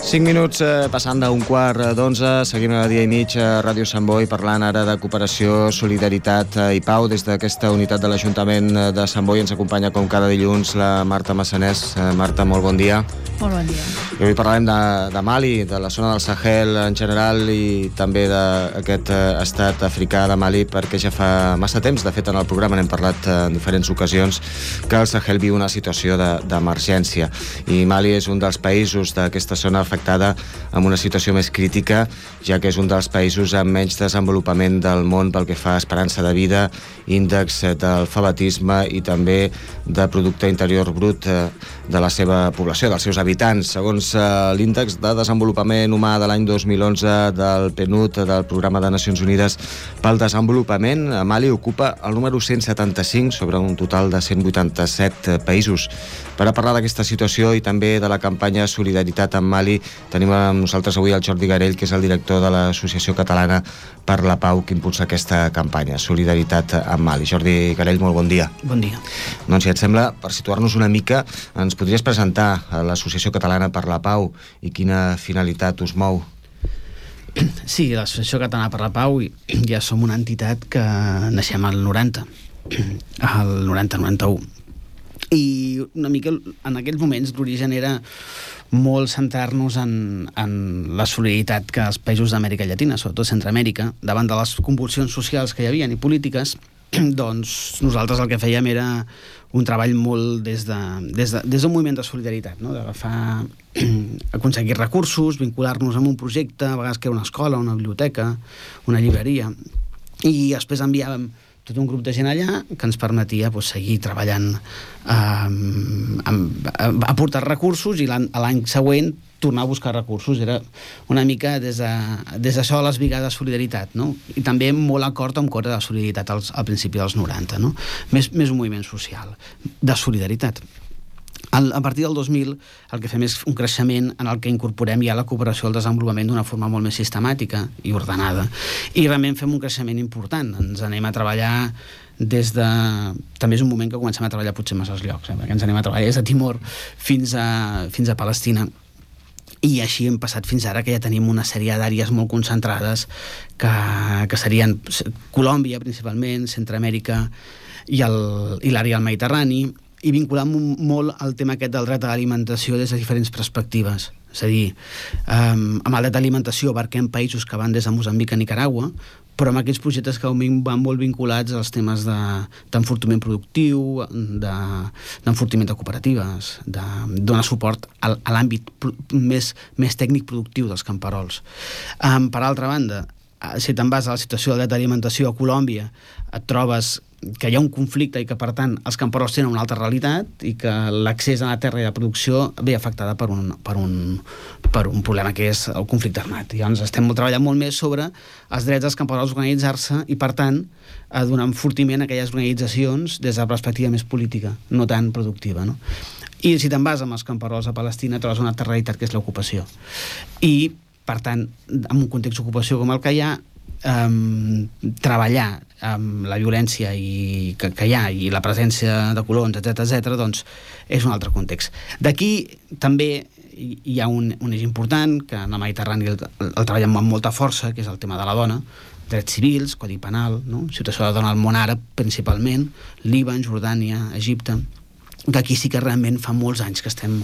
5 minuts passant d'un quart d'11, seguim a dia i mig a Ràdio Sant Boi parlant ara de cooperació, solidaritat i pau. Des d'aquesta unitat de l'Ajuntament de Sant Boi ens acompanya com cada dilluns la Marta Massanés. Marta, molt bon dia. Molt bon dia. I avui parlarem de Mali, de la zona del Sahel en general i també d'aquest estat africà de Mali, perquè ja fa massa temps, de fet en el programa n'hem parlat en diferents ocasions, que el Sahel viu una situació d'emergència i Mali és un dels països d'aquesta zona afectada amb una situació més crítica, ja que és un dels països amb menys desenvolupament del món pel que fa a esperança de vida, índex d'alfabetisme i també de producte interior brut de la seva població, dels seus habitants. Segons l'índex de desenvolupament humà de l'any 2011 del PNUD, del Programa de Nacions Unides pel Desenvolupament, Mali ocupa el número 175 sobre un total de 187 països. Per a parlar d'aquesta situació i també de la campanya Solidaritat amb Mali, tenim amb nosaltres avui el Jordi Garell, que és el director de l'Associació Catalana per la Pau, que impulsa aquesta campanya, Solidaritat amb Mali. Jordi Garell, molt bon dia. Bon dia. Doncs si et sembla, per situar-nos una mica, ens podries presentar a l'Associació Catalana per la Pau i quina finalitat us mou? Sí, l'Associació Catalana per la Pau ja som una entitat que naixem al 90, al 90-91. I una mica en aquells moments l'origen era molt centrar-nos en la solidaritat que els països d'Amèrica Llatina, sobretot Centroamèrica, davant de les convulsions socials que hi havia i polítiques, doncs nosaltres el que fèiem era un treball molt des d'un moviment de solidaritat, no? D'agafar, aconseguir recursos, vincular-nos amb un projecte, a vegades que era una escola, una biblioteca, una llibreria, i després enviàvem tot un grup de gent allà que ens permetia seguir treballant, aportar recursos i l'any següent tornar a buscar recursos. Era una mica des d'això a les Brigades de Solidaritat, no? I també molt acord amb Cora de Solidaritat al principi dels 90, no? Més un moviment social de solidaritat. A partir del 2000 el que fem és un creixement en el que incorporem ja la cooperació al desenvolupament d'una forma molt més sistemàtica i ordenada, i realment fem un creixement important. Ens anem a treballar també és un moment que comencem a treballar potser en masses llocs, perquè ens anem a treballar des de Timor fins a Palestina, i així hem passat fins ara, que ja tenim una sèrie d'àrees molt concentrades que serien Colòmbia principalment, Centroamèrica i l'àrea del Mediterrani, i vinculant molt el tema aquest del dret a l'alimentació des de diferents perspectives. És a dir, amb el dret a l'alimentació abarquem països que van des de Moçambic a Nicaragua, però amb aquells projectes que van molt vinculats als temes d'enfortiment productiu, d'enfortiment de cooperatives, de donar suport a l'àmbit més tècnic productiu dels camperols. Per altra banda, si te'n vas a la situació del dret a l'alimentació a Colòmbia, et trobes que hi ha un conflicte i que, per tant, els camperols tenen una altra realitat i que l'accés a la terra i la producció ve afectada per un problema que és el conflicte armat. Llavors estem treballant molt més sobre els drets dels camperols a organitzar-se i, per tant, a donar enfortiment a aquelles organitzacions des de la perspectiva més política, no tan productiva, no? I si te'n vas amb els camperols a Palestina trobes una altra realitat, que és l'ocupació. I, per tant, en un context d'ocupació com el que hi ha, treballar amb la violència que hi ha i la presència de colons, etc., doncs és un altre context. D'aquí també hi ha un eix important, que en el Mediterrani el treballem amb molta força, que és el tema de la dona, drets civils, codi penal, no? Situació de la dona al món àrab principalment, Líban, Jordània, Egipte, que aquí sí que realment fa molts anys que estem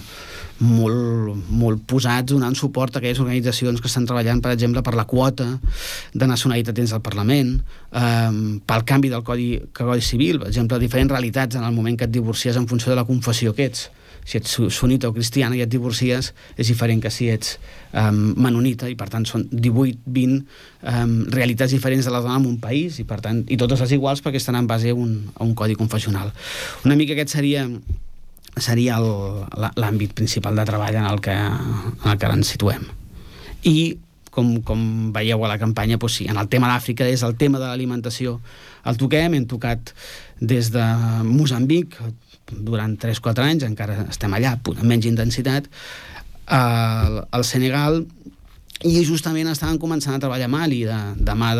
molt posats donant suport a aquelles organitzacions que estan treballant, per exemple, per la quota de nacionalitat dins del Parlament, pel canvi del Codi Civil, per exemple, diferents realitats en el moment que et divorcies en funció de la confessió que ets. Si ets sunita o cristiana i et divorcies és diferent que si ets menonita, i per tant són 18-20 realitats diferents de la dona en un país, i per tant, i totes les iguals perquè estan en base a un codi confessional. Una mica aquest seria l'àmbit principal de treball en el que ens situem. I com veieu a la campanya, doncs sí, en el tema d'Àfrica és el tema de l'alimentació. El toquem, hem tocat des de Moçambic durant 3-4 anys, encara estem allà amb menys intensitat, al Senegal, i justament estaven començant a treballar a Mali de mà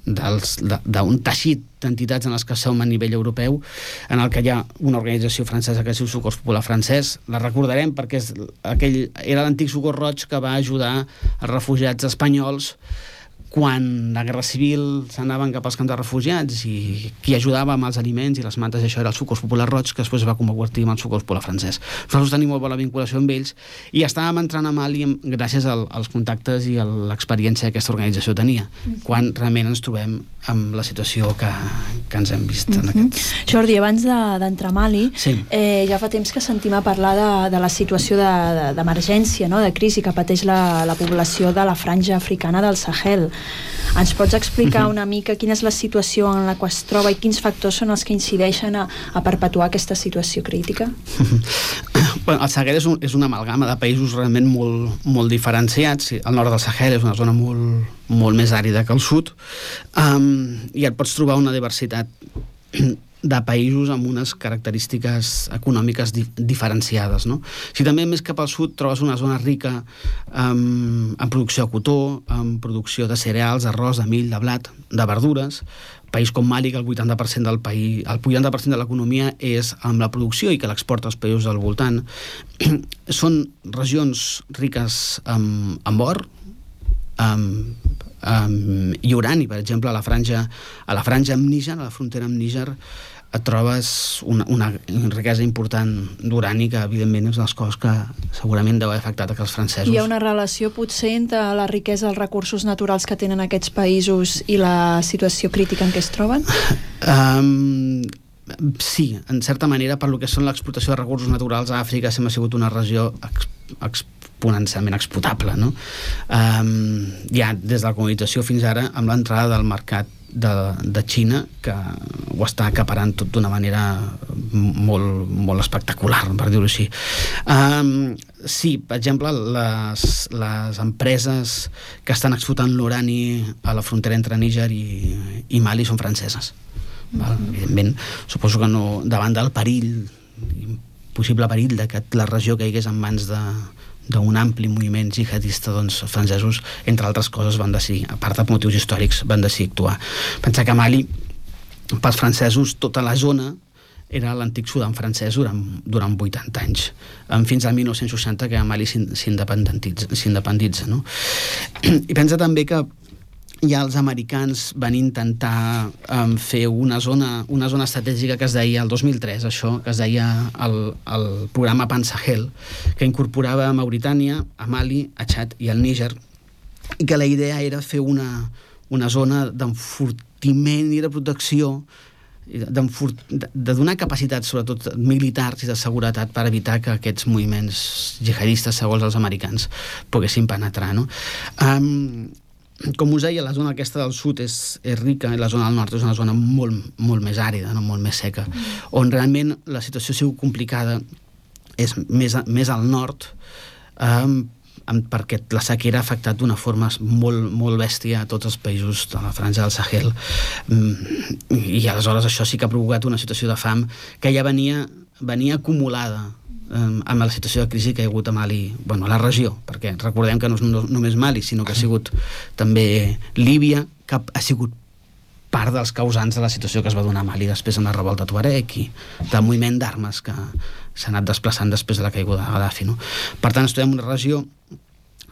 d'un teixit d'entitats en les que som a nivell europeu, en el que hi ha una organització francesa que es diu Socors Popular Francès. La recordarem perquè era l'antic Socors Roig que va ajudar els refugiats espanyols quan la Guerra Civil s'anaven cap als camps de refugiats, i qui ajudava amb els aliments i les mantes, això era el Socors Popular Roig, que després es va convertir en el Socors Popular Francès. Nosaltres tenim molt bona vinculació amb ells i estàvem entrant a Mali gràcies als contactes i a l'experiència que aquesta organització tenia, quan realment ens trobem amb la situació que ens hem vist en aquests... Jordi, abans d'entrar a Mali, sí. Ja fa temps que sentim a parlar de la situació d'emergència, no? De crisi que pateix la població de la franja africana del Sahel. Ens pots explicar una mica quina és la situació en la que es troba i quins factors són els que incideixen a perpetuar aquesta situació crítica? Bueno, el Sahel és una amalgama de països realment molt diferenciats. El nord del Sahel és una zona molt més àrida que el sud, i et pots trobar una diversitat de països amb unes característiques econòmiques diferenciades, no? Si també més cap al sud trobes una zona rica en producció de cotó, en producció de cereals, d'arròs, de mill, de blat, de verdures. País com Mali, que el 80% del país, el 80% de l'economia és amb la producció i que l'exporta als països del voltant. Són regions riques amb or, i urani, per exemple, a la franja amb Níger, a la frontera amb Níger, et trobes una riquesa important d'urani que, evidentment, és una de les coses que segurament deu haver afectat els francesos. Hi ha una relació, potser, entre la riquesa dels recursos naturals que tenen aquests països i la situació crítica en què es troben? Sí, en certa manera, per lo que són l'explotació de recursos naturals a Àfrica sempre ha sigut una regió exponencialment explotable, no? Ja des de la colonització fins ara, amb l'entrada del mercat de Xina, que ho està acaparant tot d'una manera molt espectacular, per dir-ho així. Sí, per exemple, les empreses que estan explotant l'urani a la frontera entre Níger i Mali són franceses. Evidentment, suposo que no, davant del perill, possible perill de que la regió caigués en mans d'un ampli moviment jihadista, doncs els francesos, entre altres coses, van decidir, a part de motius històrics, van decidir actuar. Pensar que Mali, pels francesos, tota la zona era l'antic Sudan francès durant 80 anys, fins al 1960, que Mali s'independitza, no? I pensa també que ja els americans van intentar fer una zona estratègica que es deia el 2003, això, que es deia el programa Pan-Sahel, que incorporava a Mauritània, a Mali, a Txad i al Níger, i que la idea era fer una zona d'enfortiment i de protecció, de donar capacitats, sobretot militars i de seguretat, per evitar que aquests moviments jihadistes, segons els americans, poguessin penetrar, no? Com us deia, la zona aquesta del sud és rica i la zona del nord és una zona molt més àrida, no? Molt més seca, on realment la situació ha sigut complicada és més al nord, perquè la sequera ha afectat d'una forma molt bèstia a tots els països de la franja del Sahel, i aleshores això sí que ha provocat una situació de fam que ja venia acumulada amb la situació de crisi que hi ha hagut a Mali, bueno, a la regió, perquè recordem que no és només Mali, sinó que ha sigut també Líbia, que ha sigut part dels causants de la situació que es va donar a Mali després amb la revolta Tuareg i del moviment d'armes que s'ha anat desplaçant després de la caiguda de Gaddafi, no? Per tant, estudiem una regió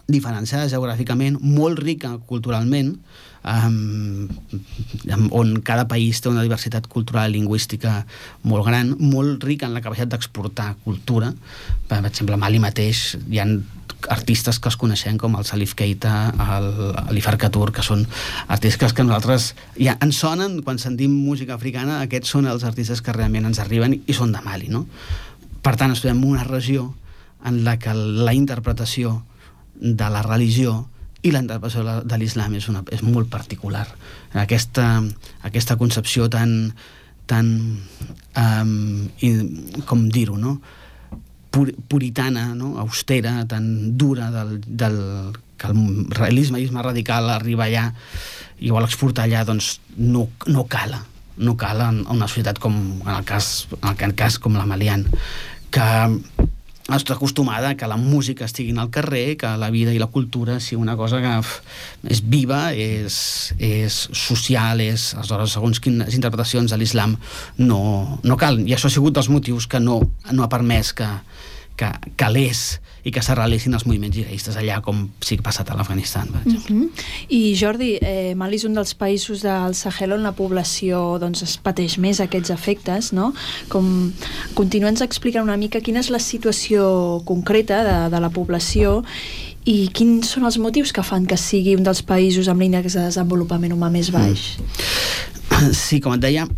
diferenciada geogràficament, molt rica culturalment, on cada país té una diversitat cultural i lingüística molt gran, molt rica en la capacitat d'exportar cultura. Per exemple, a Mali mateix hi ha artistes que els coneixem com el Salif Keita, el Ifar Katur, que són artistes que nosaltres ja ens sonen quan sentim música africana. Aquests són els artistes que realment ens arriben i són de Mali, no? Per tant, estudiem una regió en la que la interpretació de la religió i la interpretació de l'islam és molt particular. Aquesta concepció tan com dir-ho, no? Puritana, no? Austera, tan dura que el realisme radical arriba allà i vol exportar allà, doncs no cala en una societat com en el cas com la maliana, que està acostumada que la música estigui al carrer, que la vida i la cultura sigui una cosa que és viva, és social, aleshores, segons quines interpretacions de l'islam no cal. I això ha sigut dels motius que no ha permès que calés i que s'arrelessin els moviments jihadistes allà, com sí que ha passat a l'Afganistan, per exemple. I Jordi, Mali és un dels països del Sahel on la població es pateix més aquests efectes, no? Continua'ns explicant una mica quina és la situació concreta de la població i quins són els motius que fan que sigui un dels països amb l'índex de desenvolupament humà més baix. Sí, com et deia,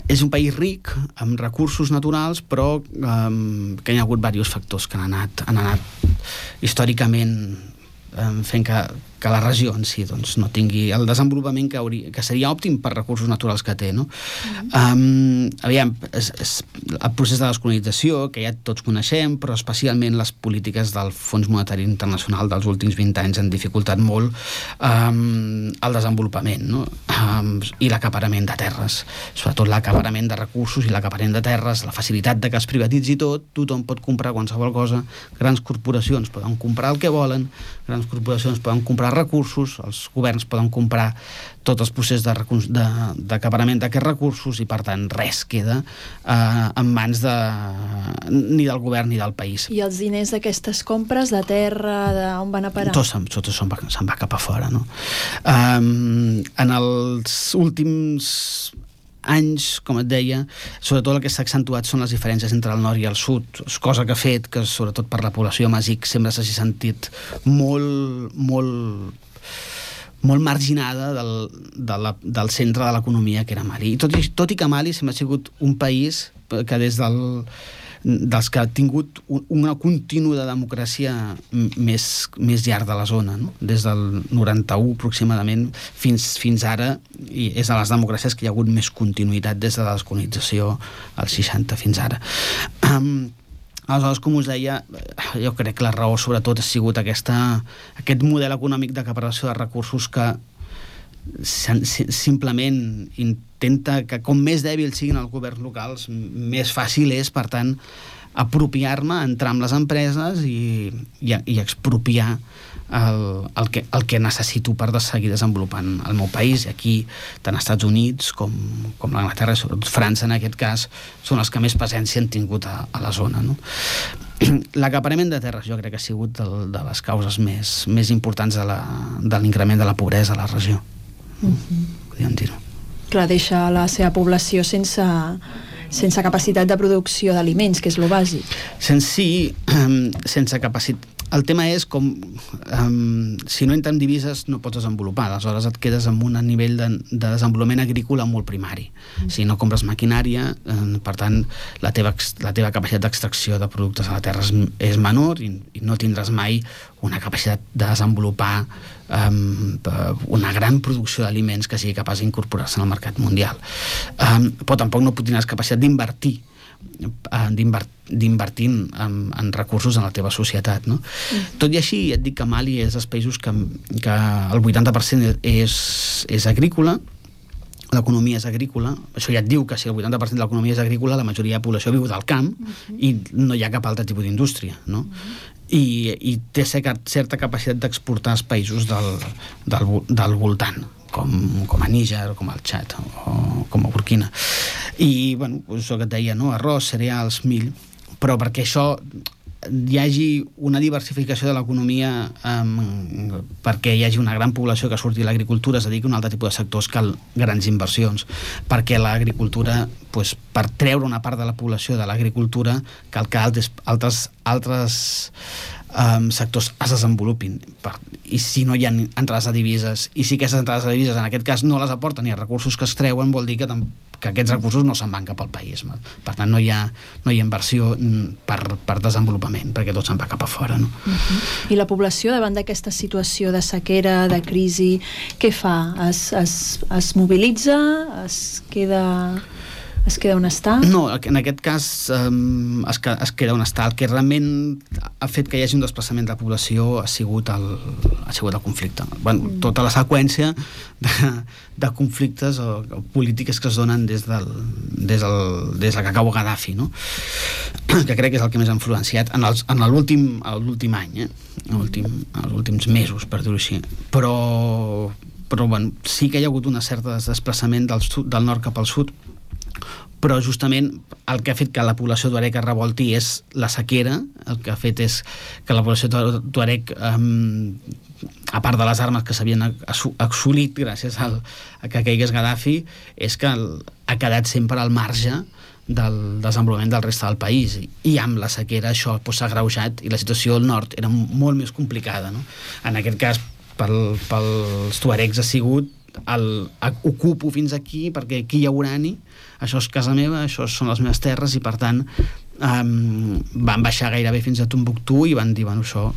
és un país ric, amb recursos naturals, però que hi ha hagut diversos factors que han anat històricament fent que la regió en si no tingui el desenvolupament que seria òptim per recursos naturals que té, no? Aviam, el procés de descolonització, que ja tots coneixem, però especialment les polítiques del Fons Monetari Internacional dels últims 20 anys han dificultat molt el desenvolupament, no? I l'acaparament de terres, sobretot l'acaparament de recursos i l'acaparament de terres, la facilitat de que es privatitzi tot, tothom pot comprar qualsevol cosa, grans corporacions poden comprar el que volen, grans corporacions poden comprar recursos, els governs poden comprar tot el procés d'acaparament d'aquests recursos i per tant res queda en mans ni del govern ni del país. I els diners d'aquestes compres de terra, on van a parar? Tot se'n va cap a fora, no? En els últims anys, com et deia, sobretot el que s'ha accentuat són les diferències entre el nord i el sud, cosa que ha fet que, sobretot per la població amazic, sempre s'hagi sentit molt marginada del centre de l'economia que era Mali. Tot i que Mali sempre ha sigut un país que dels que ha tingut una contínua democràcia més llarg de la zona, no? Des del 91 aproximadament fins ara, i és de les democràcies que hi ha hagut més continuïtat des de la descolonització als 60 fins ara. Aleshores, com us deia, jo crec que la raó sobretot ha sigut aquest model econòmic d'acaparació de recursos que simplement intenta que com més dèbils siguin els governs locals, més fàcil és, per tant, apropiar-me, entrar amb les empreses i expropiar el que necessito per seguir desenvolupant el meu país. I aquí, tant als Estats Units com l'Anglaterra, sobretot França en aquest cas, són els que més presència han tingut a la zona, no? L'acaparament de terres jo crec que ha sigut de les causes més importants de l'increment de la pobresa a la regió. Podríem dir-ho. Clar, deixa la seva població sense capacitat de producció d'aliments, que és lo bàsic. Sense capacitat. El tema és com si no entra en divises no pots desenvolupar, aleshores et quedes amb un nivell de desenvolupament agrícola molt primari. Si no compres maquinària, per tant la teva capacitat d'extracció de productes a la terra és menor i no tindràs mai una capacitat de desenvolupar una gran producció d'aliments que sigui capaç d'incorporar-se en el mercat mundial. Però tampoc no tindràs capacitat d'invertir en recursos en la teva societat, no? Tot i així, et dic que Mali és dels països que el 80% és agrícola, l'economia és agrícola, això ja et diu que si el 80% de l'economia és agrícola, la majoria de la població viu del camp i no hi ha cap altre tipus d'indústria, no? I té certa capacitat d'exportar als països del voltant, com a Níger, com al Txad o com a Burkina. I, bueno, això que et deia, no? Arròs, cereals, mill, però perquè això hi hagi una diversificació de l'economia, perquè hi hagi una gran població que surti de l'agricultura, es dediqui a un altre tipus de sectors, cal grans inversions, perquè l'agricultura, per treure una part de la població de l'agricultura, cal que altres sectors es desenvolupin, i si no hi ha entrades de divises, i si aquestes entrades de divises en aquest cas no les aporten ni els recursos que es treuen, vol dir que aquests recursos no se'n van cap al país. Per tant, no hi ha inversió per desenvolupament, perquè tot se'n va cap a fora, no? I la població, davant d'aquesta situació de sequera, de crisi, què fa? Es mobilitza? Es queda es queda on està? No, en aquest cas es queda on està. El que realment ha fet que hi hagi un desplaçament de la població ha sigut el conflicte. Bueno, tota la seqüència de conflictes o polítiques que es donen des que acabó Gaddafi, no? Que crec que és el que més ha influenciat en l'últim any, els últims mesos, per dir-ho així. Però bueno, sí que hi ha hagut un cert desplaçament del nord cap al sud, però justament el que ha fet que la població tuareg es revolti és la sequera. El que ha fet és que la població tuareg, a part de les armes que s'havien assolit gràcies a que caigués Gaddafi, és que ha quedat sempre al marge del desenvolupament del reste del país, i amb la sequera això s'ha agreujat i la situació al nord era molt més complicada, no? En aquest cas pels tuaregs ha sigut ocupo fins aquí perquè aquí hi ha urani, això és casa meva, això són les meves terres, i per tant van baixar gairebé fins a Tombouctou i van dir, bueno, això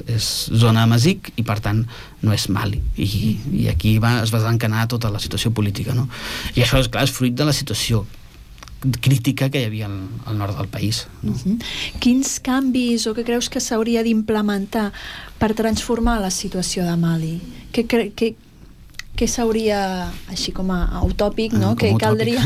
és zona Amazic i per tant no és Mali, i aquí es va desencadenar tota la situació política, no? I això, és clar, és fruit de la situació crítica que hi havia al nord del país, no? Quins canvis o què creus que s'hauria d'implementar per transformar la situació de Mali? Què s'hauria, així com a utòpic, no? Què caldria?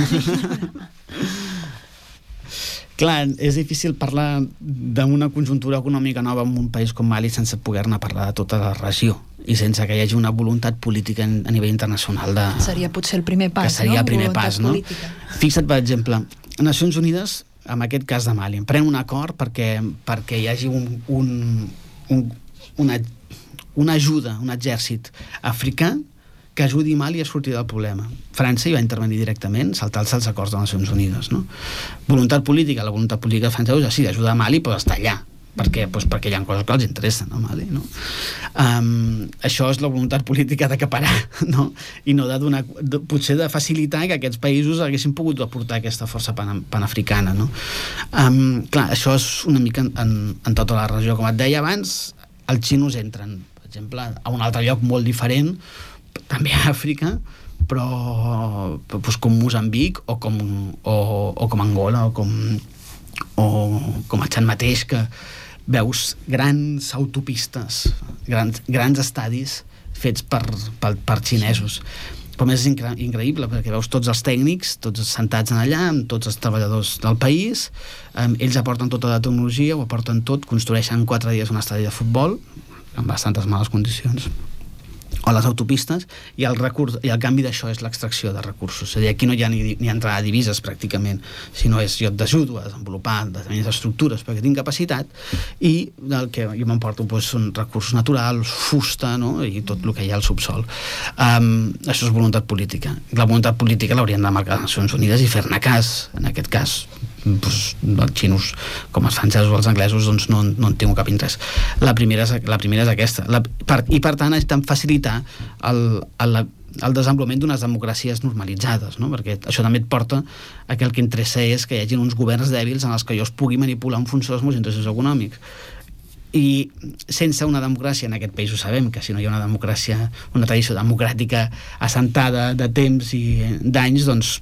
Clar, és difícil parlar d'una conjuntura econòmica nova en un país com Mali sense poder-ne parlar de tota la regió i sense que hi hagi una voluntat política a nivell internacional seria potser el primer pas, que seria el primer pas, no? Política. Fixa't, per exemple, Nacions Unides, en aquest cas de Mali, pren un acord perquè hi hagi una ajuda, un exèrcit africà que ajudi Mali a sortir del problema. França hi va intervenir directament, saltar-se els acords de les Nacions Unides, no? Voluntat política, la voluntat política francesa, sí, d'ajudar Mali, però està allà, perquè hi ha coses que els interessen a Mali, no? Això és la voluntat política d'acaparar, no? I no de donar, potser de facilitar que aquests països haguessin pogut aportar aquesta força panafricana, no? Clar, això és una mica en tota la regió. Com et deia abans, els xinos entren, per exemple, a un altre lloc molt diferent, també a Àfrica, però com Moçambic o com Angola o com a Txad mateix, que veus grans autopistes, grans estadis fets per xinesos. Però més és increïble perquè veus tots els tècnics, tots sentats allà, amb tots els treballadors del país, ells aporten tota la tecnologia, ho aporten tot, construeixen 4 dies un estadi de futbol amb bastantes males condicions, o les autopistes, i el canvi d'això és l'extracció de recursos. És a dir, aquí no hi ha ni entrada de divises pràcticament, sinó és jo t'ajudo a desenvolupar determinades estructures perquè tinc capacitat, i el que jo m'emporto són recursos naturals, fusta, no? I tot el que hi ha al subsol. Això és voluntat política. La voluntat política l'haurien de marcar les Nacions Unides i fer-ne cas. En aquest cas els xinos, com els francesos o els anglesos, doncs no en tinc cap interès. La primera és aquesta, i per tant és tan facilitar el desenvolupament d'unes democràcies normalitzades, no? Perquè això també et porta a que el que interessa és que hi hagi uns governs dèbils en els que jo es pugui manipular en funció dels meus interessos econòmics. I sense una democràcia, en aquest país ho sabem, que si no hi ha una democràcia, una tradició democràtica assentada de temps i d'anys, doncs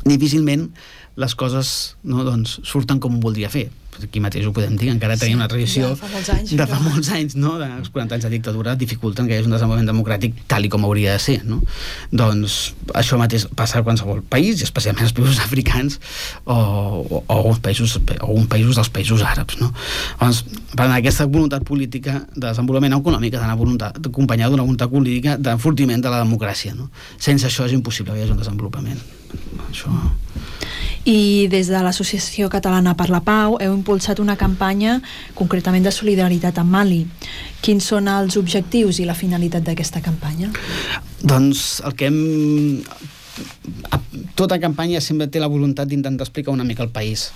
difícilment les coses, no, doncs, surten com voldria fer. Aquí mateix ho podem dir, encara tenim una tradició de fa molts anys, no? Els 40 anys de dictadura dificulten que hi hagi un desenvolupament democràtic tal i com hauria de ser, no? Doncs això mateix passa a qualsevol país, i especialment als països africans o uns països dels països àrabs, no? Doncs, per tant, aquesta voluntat política de desenvolupament econòmic ha d'anar acompanyada d'una voluntat política d'enfortiment de la democràcia, no? Sense això és impossible que hi hagi un desenvolupament. Això... I des de l'Associació Catalana per la Pau heu impulsat una campanya concretament de solidaritat amb Mali. Quins són els objectius i la finalitat d'aquesta campanya? Doncs el que tota campanya sempre té la voluntat d'intentar explicar una mica el país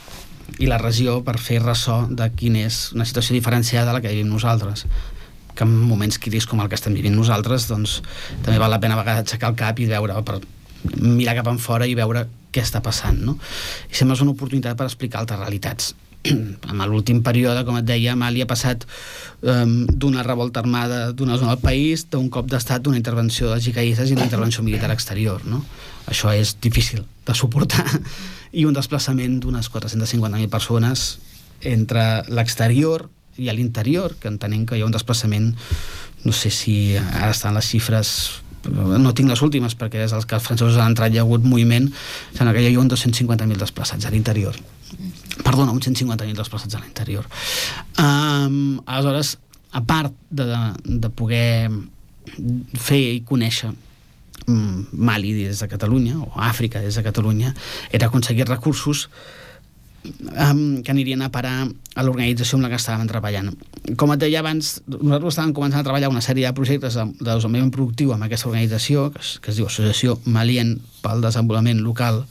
i la regió per fer ressò de quina és una situació diferenciada de la que vivim nosaltres, que en moments crítics com el que estem vivint nosaltres, doncs també val la pena a vegades aixecar el cap i veure, mirar cap enfora i veure què està passant, no? I sembla una oportunitat per explicar altres realitats. en l'últim període, com et deia, Mali ha passat d'una revolta armada d'una zona del país, d'un cop d'estat, d'una intervenció dels jihadistes i una intervenció militar exterior, no? Això és difícil de suportar, i un desplaçament d'unes 450.000 persones entre l'exterior i a l'interior, que entenem que hi ha un desplaçament, no sé si ara estan les xifres, no tinc les últimes perquè des dels que els francesos han entrat hi ha hagut moviment, sembla que hi ha uns 250.000 desplaçats a l'interior, perdona, uns 150.000 desplaçats a l'interior. Aleshores, a part de poder fer i conèixer Mali des de Catalunya, o Àfrica des de Catalunya, era aconseguir recursos que anirien a parar a l'organització amb la que estàvem treballant. Com et deia abans, nosaltres estàvem començant a treballar una sèrie de projectes de desenvolupament productiu amb aquesta organització, que es diu Associació Malien pel Desenvolupament Local.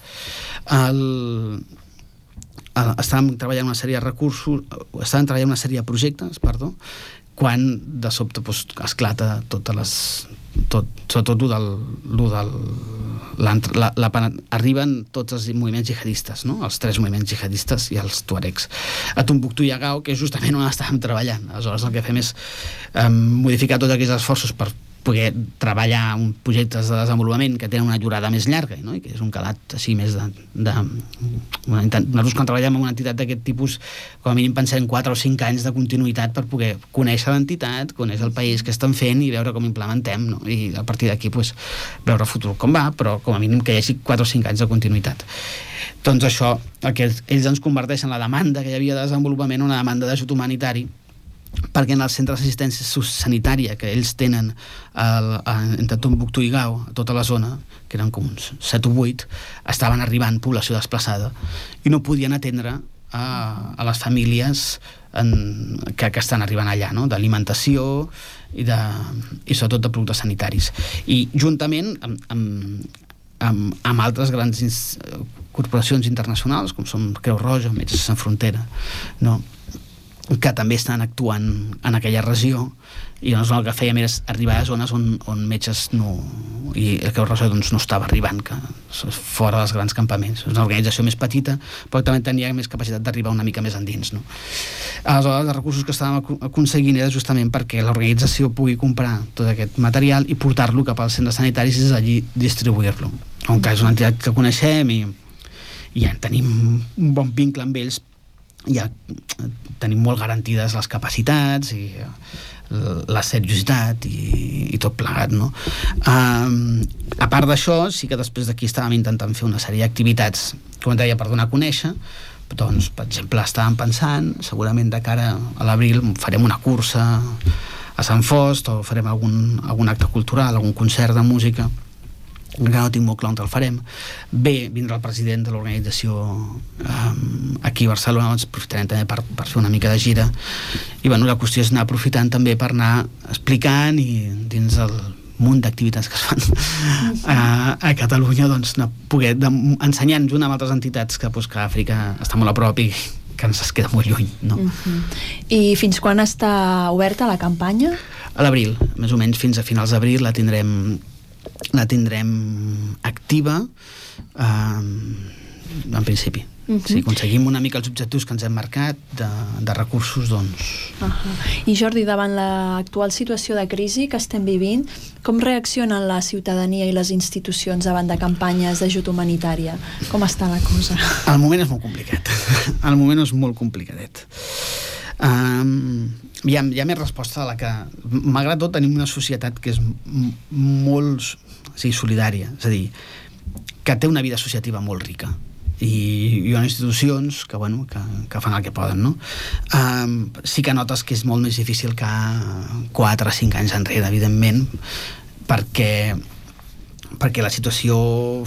Estàvem treballant una sèrie de recursos, estàvem treballant una sèrie de projectes, quan de sobte esclata sobretot arriben tots els moviments jihadistes, no? Els 3 moviments jihadistes i els tuaregs a Tombouctou i a Gao, que és justament on estàvem treballant. Aleshores el que fem és modificar tots aquells esforços per poder treballar projectes de desenvolupament que tenen una durada més llarga, no? I que és un calat així més nosaltres quan treballem en una entitat d'aquest tipus com a mínim pensem 4 o 5 anys de continuïtat per poder conèixer l'entitat, conèixer el país que estan fent i veure com implementem, no? I a partir d'aquí veure el futur com va, però com a mínim que hi hagi 4 o 5 anys de continuïtat. Doncs això, el que ells ens converteixen la demanda que hi havia de desenvolupament en una demanda d'ajut humanitari, perquè en els centres d'assistència sanitària que ells tenen entre Tombouctou i Gao, a tota la zona, que eren com uns 7 o 8, estaven arribant població desplaçada i no podien atendre a les famílies que estan arribant allà, no? D'alimentació i sobretot de productes sanitaris. I juntament amb altres grans corporacions internacionals, com són Creu Roja, Metges Sense Frontera, no? Que també estan actuant en aquella regió, i llavors el que fèiem era arribar a zones on metges i el Creu Roja no estava arribant, que fora dels grans campaments. És una organització més petita, però també tenia més capacitat d'arribar una mica més endins, no? Aleshores els recursos que estàvem aconseguint era justament perquè l'organització pugui comprar tot aquest material i portar-lo cap als centres sanitaris i des d'allí distribuir-lo. Com que és una entitat que coneixem i ja tenim un bon vincle amb ells, ja tenim molt garantides les capacitats i la seriositat i tot plegat, no? A part d'això, sí que després d'aquí estàvem intentant fer una sèrie d'activitats, com et deia, per donar a conèixer. Doncs, per exemple, estàvem pensant, segurament de cara a l'abril farem una cursa a Sant Fost o farem algun acte cultural, algun concert de música, encara no tinc molt clar on el farem. Bé, vindrà el president de l'organització aquí a Barcelona, doncs aprofitarem també per fer una mica de gira, i bueno, la qüestió és anar aprofitant també per anar explicant i dins el munt d'activitats que es fan a Catalunya, doncs poder ensenyar junt amb altres entitats que Àfrica està molt a prop i que ens es queda molt lluny, no? I fins quan està oberta la campanya? A l'abril, més o menys fins a finals d'abril la tindrem activa en principi. Si aconseguim una mica els objectius que ens hem marcat de recursos, doncs... I Jordi, davant l'actual situació de crisi que estem vivint, com reaccionen la ciutadania i les institucions davant de campanyes d'ajut humanitària? Com està la cosa? El moment és molt complicat. El moment és molt complicadet. Hi ha més resposta a la que... Malgrat tot, tenim una societat que és molt solidària, és a dir, que té una vida associativa molt rica, i hi ha institucions que fan el que poden, no? Sí que notes que és molt més difícil que 4 o 5 anys enrere, evidentment, perquè la situació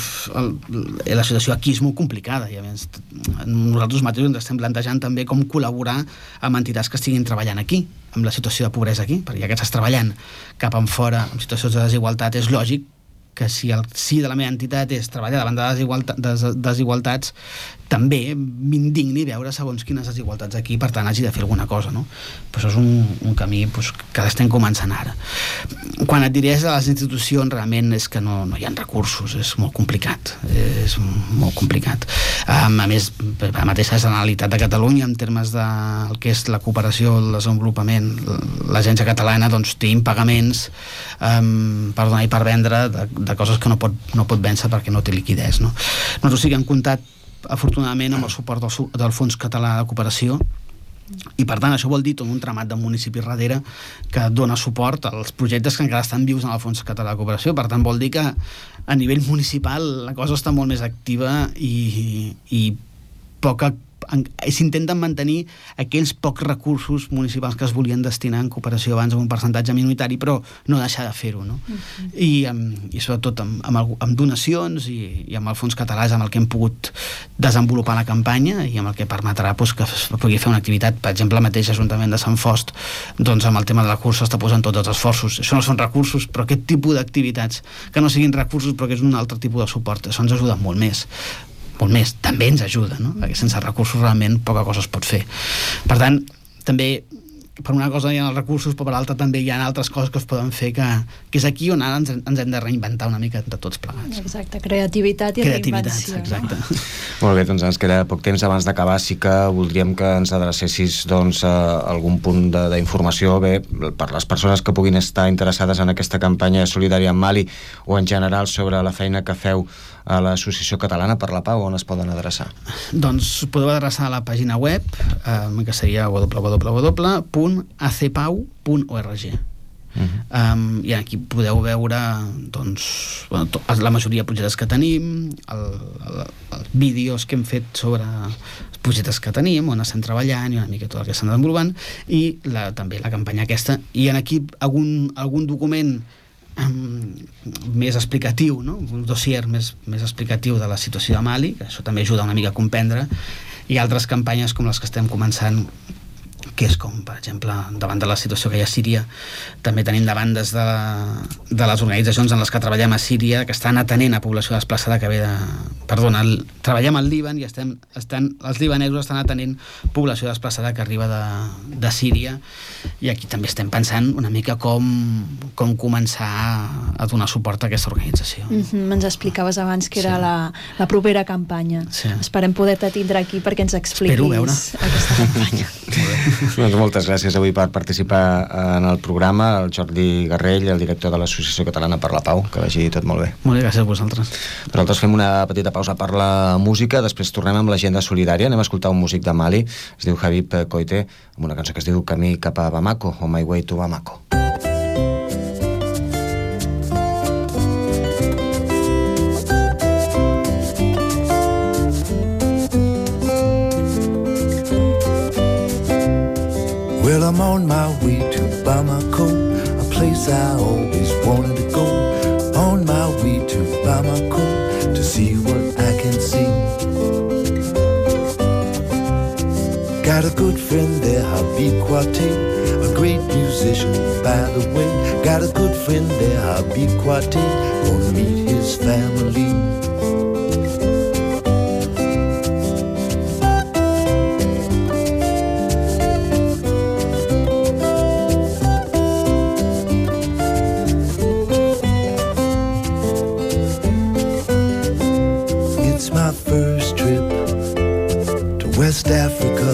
aquí és molt complicada, i a més nosaltres mateixos ens estem plantejant també com col·laborar amb entitats que estiguin treballant aquí, amb la situació de pobresa aquí, perquè ja que estàs treballant cap enfora en situacions de desigualtat, és lògic que si el sí de la meva entitat és treballar davant de desigualtats, també m'indigni veure segons quines desigualtats aquí, per tant hagi de fer alguna cosa, no? Però això és un camí que l'estem començant ara. Quan et diré de les institucions, realment és que no hi ha recursos, és molt complicat, a més, la mateixa Generalitat de Catalunya, en termes del que és la cooperació, el desenvolupament, l'agència catalana doncs té impagaments per donar i per vendre de coses que no pot vèncer perquè no té liquiditat, no? Nosaltres sí que hem comptat afortunadament amb el suport del Fons Català de Cooperació, i per tant això vol dir tot un tramat de municipis darrere que dona suport als projectes que encara estan vius en el Fons Català de Cooperació. Per tant vol dir que a nivell municipal la cosa està molt més activa i s'intenten mantenir aquells pocs recursos municipals que es volien destinar en cooperació abans amb un percentatge minoritari, però no deixar de fer-ho, no? I sobretot amb donacions i amb el Fons Català és amb el que hem pogut desenvolupar la campanya i amb el que permetrà que es pugui fer una activitat. Per exemple, el mateix Ajuntament de Sant Fost, doncs amb el tema de la cursa està posant tots els esforços. Això no són recursos, però aquest tipus d'activitats que no siguin recursos però que és un altre tipus de suport, això ens ajuda molt més, també ens ajuda, no? Perquè sense recursos realment poca cosa es pot fer. Per tant, també per una cosa hi ha els recursos, però per l'altra també hi ha altres coses que es poden fer, que és aquí on ara ens hem de reinventar una mica de tots plegats. Exacte, creativitat i reinvenció. Exacte. Molt bé, doncs ens queda poc temps. Abans d'acabar sí que voldríem que ens adrecessis doncs, a algun punt d'informació per les persones que puguin estar interessades en aquesta campanya solidària en Mali o en general sobre la feina que feu a l'Associació Catalana per la Pau. On es poden adreçar? Doncs podeu adreçar a la pàgina web que seria www.acpau.org. I aquí podeu veure doncs, la majoria de projectes que tenim, els vídeos que hem fet sobre els projectes que tenim, on estem treballant i una mica tot el que estan desenvolupant, i també la campanya aquesta. I aquí algun document més explicatiu, no? Un dossier més explicatiu de la situació de Mali, que això també ajuda una mica a comprendre, i altres campanyes com les que estem començant, que és com, per exemple, davant de la situació que hi ha a Síria, també tenim demandes de les organitzacions en les que treballem a Síria, que estan atenent a població desplaçada que ve de... treballem al Líban i els libanesos estan atenent població desplaçada que arriba de Síria, i aquí també estem pensant una mica com començar a donar suport a aquesta organització. Ens explicaves abans que era la propera campanya. Esperem poder-te tindre aquí perquè ens expliquis aquesta campanya. Doncs moltes gràcies avui per participar en el programa, el Jordi Garrell, el director de l'Associació Catalana per la Pau. Que vagi tot molt bé. Molt bé, gràcies a vosaltres. Nosaltres fem una petita pausa per la música, després tornem amb l'agenda solidària. Anem a escoltar un músic de Mali, es diu Habib Koité, amb una cançó que es diu Camí cap a Bamako, o My Way to Bamako. Well, I'm on my way to Bamako, a place I always wanted to go. On my way to Bamako, to see what I can see. Got a good friend there, Habib Koité, a great musician by the way. Got a good friend there, Habib Koité, gonna meet his family. West Africa,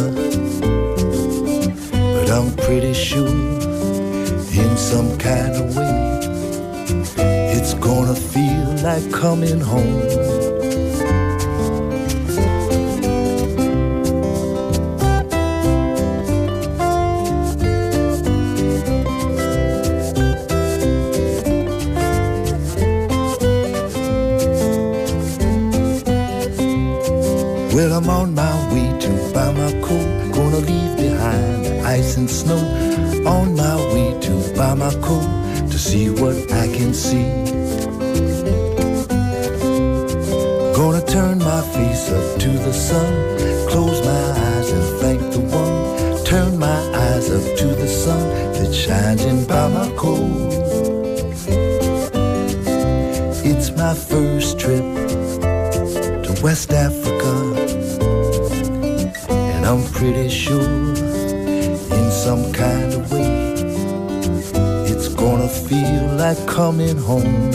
but I'm pretty sure in some kind of way it's gonna feel like coming home. Well, I'm on my way to Bamako, gonna leave behind the ice and snow. On my way to Bamako, to see what I can see. Gonna turn my face up to the sun, close my eyes and thank the one. Turn my eyes up to the sun that shines in Bamako. It's my first trip to West Africa. pretty sure in some kind of way it's gonna feel like coming home.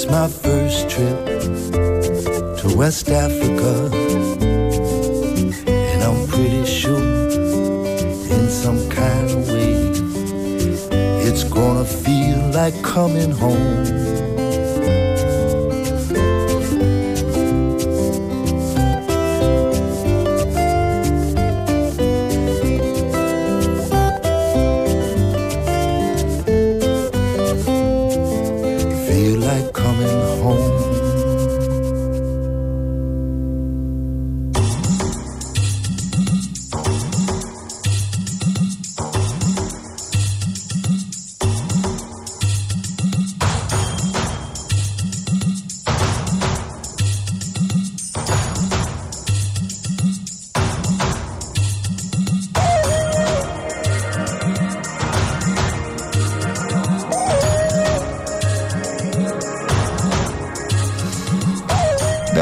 My first trip to West Africa, and I'm pretty sure in some kind of way it's gonna feel like coming home.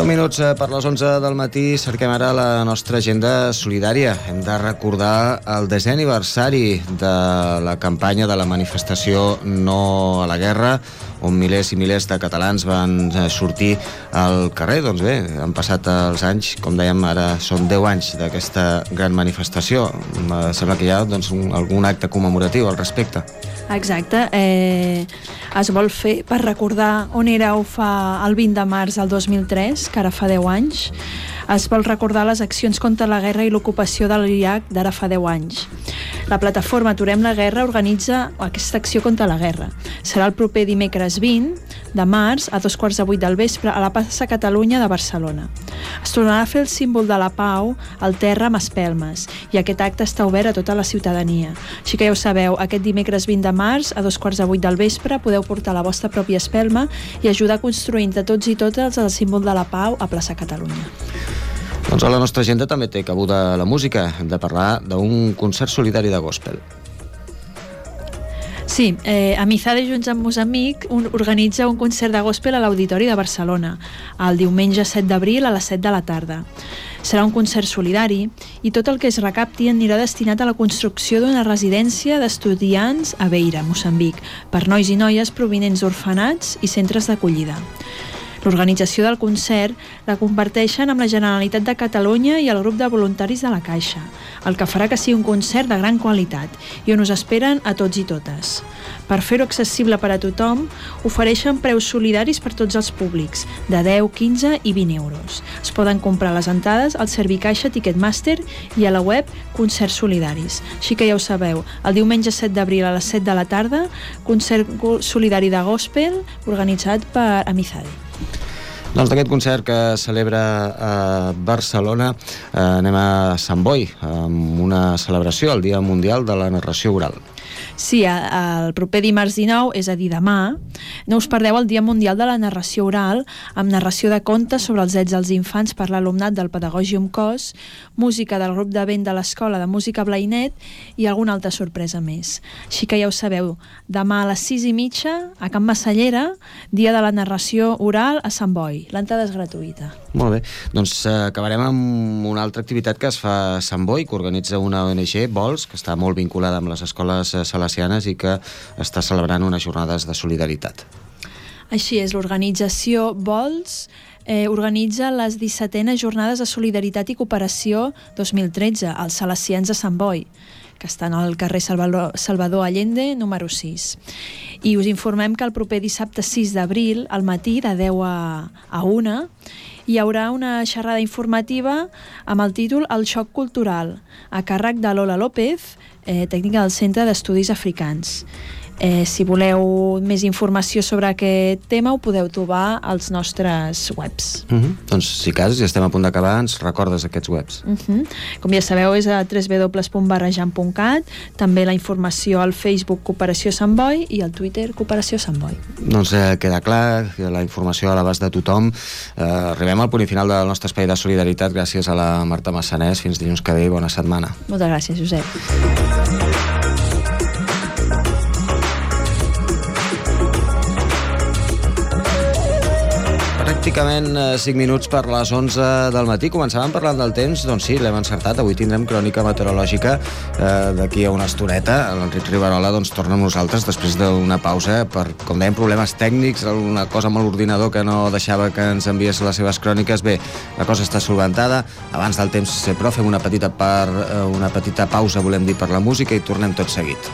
Minuts per les 11 del matí, cerquem ara la nostra agenda solidària. Hem de recordar el 10è aniversari de la campanya de la manifestació No a la Guerra, on milers i milers de catalans van sortir al carrer. Doncs bé, han passat els anys, com dèiem, ara són 10 anys d'aquesta gran manifestació. Sembla que hi ha algun acte commemoratiu al respecte. Exacte, es vol fer per recordar on éreu el 20 de març del 2003, que ara fa 10 anys. Es vol recordar les accions contra la guerra i l'ocupació de l'Iraq d'ara fa 10 anys. La plataforma Aturem la Guerra organitza aquesta acció contra la guerra. Serà el proper dimecres 20 de març a 7:15 del vespre a la plaça Catalunya de Barcelona. Es tornarà a fer el símbol de la pau al terra amb espelmes, i aquest acte està obert a tota la ciutadania. Així que ja ho sabeu, aquest dimecres 20 de març a 7:15 del vespre podeu portar la vostra pròpia espelma i ajudar a construir entre tots i totes el símbol de la pau a plaça Catalunya. Doncs a la nostra agenda també té cabuda la música. Hem de parlar d'un concert solidari de gospel. Sí, Amizade junts amb Moçambic organitza un concert de gospel a l'Auditori de Barcelona el diumenge 7 d'abril a les 7 de la tarda. Serà un concert solidari i tot el que es recapti anirà destinat a la construcció d'una residència d'estudiants a Beira, Moçambic, per nois i noies provinents d'orfenats i centres d'acollida. L'organització del concert la comparteixen amb la Generalitat de Catalunya i el grup de voluntaris de la Caixa, el que farà que sigui un concert de gran qualitat i on us esperen a tots i totes. Per fer-ho accessible per a tothom, ofereixen preus solidaris per tots els públics, de 10, 15 i 20 euros. Es poden comprar les entrades al Servicaixa Ticketmaster i a la web Concerts Solidaris. Així que ja ho sabeu, el diumenge 7 d'abril a les 7 de la tarda, concert solidari de gospel organitzat per Amizade. Doncs d'aquest concert que celebra a Barcelona anem a Sant Boi amb una celebració, el Dia Mundial de la Narració Oral. Sí, el proper dimarts 19, és a dir, demà, no us perdeu el Dia Mundial de la Narració Oral, amb narració de contes sobre els drets dels infants per l'alumnat del Pedagògium Cos, música del grup de vent de l'Escola de Música Blainet i alguna altra sorpresa més. Així que ja ho sabeu, demà a les 6:30 a Can Massallera, Dia de la Narració Oral a Sant Boi. L'entrada és gratuïta. Molt bé, doncs acabarem amb una altra activitat que es fa a Sant Boi, que organitza una ONG, Vols, que està molt vinculada amb les escoles salesianes i que està celebrant unes jornades de solidaritat. Així és, l'organització Vols organitza les 17enes Jornades de Solidaritat i Cooperació 2013 als salesians de Sant Boi, que estan al carrer Salvador Allende, número 6. I us informem que el proper dissabte 6 d'abril, al matí, de 10 a 1, hi haurà una xerrada informativa amb el títol El xoc cultural, a càrrec de Lola López, tècnica del Centre d'Estudis Africans. Si voleu més informació sobre aquest tema ho podeu trobar als nostres webs. Doncs si cas, ja estem a punt d'acabar, ens recordes aquests webs. Com ja sabeu, és a www.barrejant.cat, també la informació al Facebook Cooperació Sant Boi i al Twitter Cooperació Sant Boi. Doncs queda clar, la informació a l'abast de tothom. Arribem al punt i final del nostre espai de solidaritat gràcies a la Marta Massanés. Fins dilluns que ve i bona setmana. Moltes gràcies, Josep. Pràcticament 5 minuts per les 11 del matí. Començàvem parlant del temps, doncs sí, l'hem encertat. Avui tindrem crònica meteorològica d'aquí a una estoneta. L'Enric Riverola doncs torna amb nosaltres després d'una pausa per, com dèiem, problemes tècnics, alguna cosa amb l'ordinador que no deixava que ens enviés les seves cròniques. Bé, la cosa està solventada. Abans del temps, però fem una petita pausa, volem dir, per la música i tornem tot seguit.